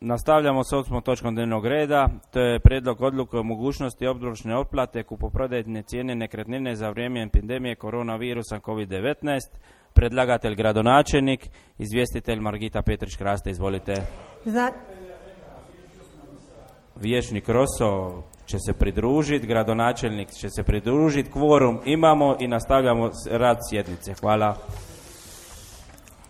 Nastavljamo s 8. točkom dnevnog reda. To je prijedlog odluke o mogućnosti obročne otplate kupoprodajne cijene nekretnine za vrijeme epidemije koronavirusa COVID-19. Predlagatelj gradonačelnik, izvjestitelj Margita Petrić-Kraste. Izvolite. Vijećnik Roso će se pridružiti, gradonačelnik će se pridružiti, kvorum imamo i nastavljamo rad sjednice. Hvala.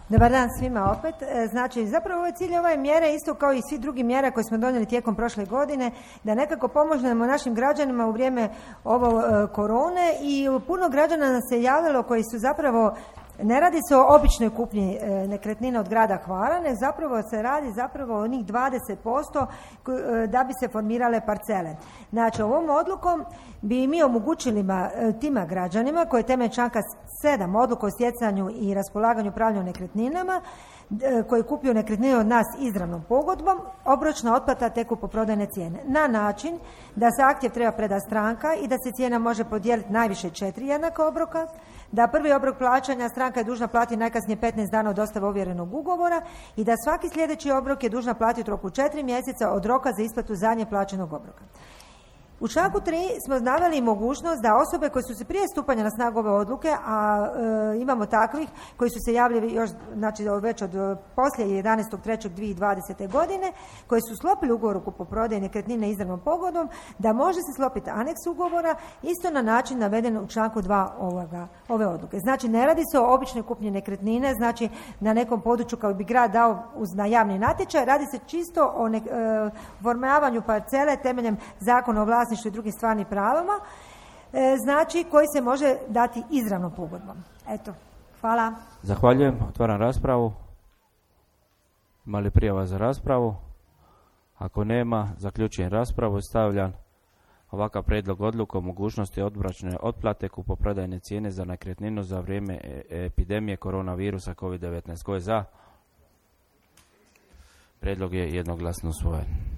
Dobar dan svima opet. Znači, zapravo ovaj cilj ove mjere, isto kao i svi drugi mjera koje smo donijeli tijekom prošle godine, da nekako pomožemo našim građanima u vrijeme ovo korone, i puno građana nas se javilo koji su zapravo, ne radi se o običnoj kupnji nekretnina od grada Hvara, nego zapravo se radi zapravo o onih 20% da bi se formirale parcele. Znači, ovom odlukom bi mi omogućili tima građanima koji temeljem članka 7 odluku o stjecanju i raspolaganju upravljanju nekretninama, koji kupuju nekretnine od nas izravnom pogodbom, obročna otplata te kupoprodajne cijene. Na način da zahtjev treba predati stranka i da se cijena može podijeliti najviše 4 jednaka obroka, da prvi obrok plaćanja stranka je dužna platiti najkasnije 15 dana od dostave ovjerenog ugovora i da svaki sljedeći obrok je dužna platiti u roku 4 mjeseca od roka za isplatu zadnje plaćenog obroka. U članku 3 smo naveli mogućnost da osobe koje su se prije stupanja na snagu ove odluke, a imamo takvih koji su se javili još, znači već od poslije 11.3.2020. godine, koji su sklopili ugovor o kupoprodaji nekretnine izravnom pogodbom, da može se sklopiti aneks ugovora isto na način naveden u članku 2 ove odluke. Znači, ne radi se o običnoj kupnji nekretnine, znači na nekom području kao bi grad dao na javni natječaj, radi se čisto o formavanju parcele temeljem Zakona o vlasništvu i drugim stvarnim pravama, znači koji se može dati izravnom pogodbom. Eto, hvala. Zahvaljujem, otvaram raspravu. Ima li prijava za raspravu? Ako nema, zaključujem raspravu i stavljam ovakav prijedlog odluke o mogućnosti obročne otplate kupoprodajne cijene za nekretninu za vrijeme epidemije koronavirusa COVID-19. Tko je za? Prijedlog je jednoglasno usvojen.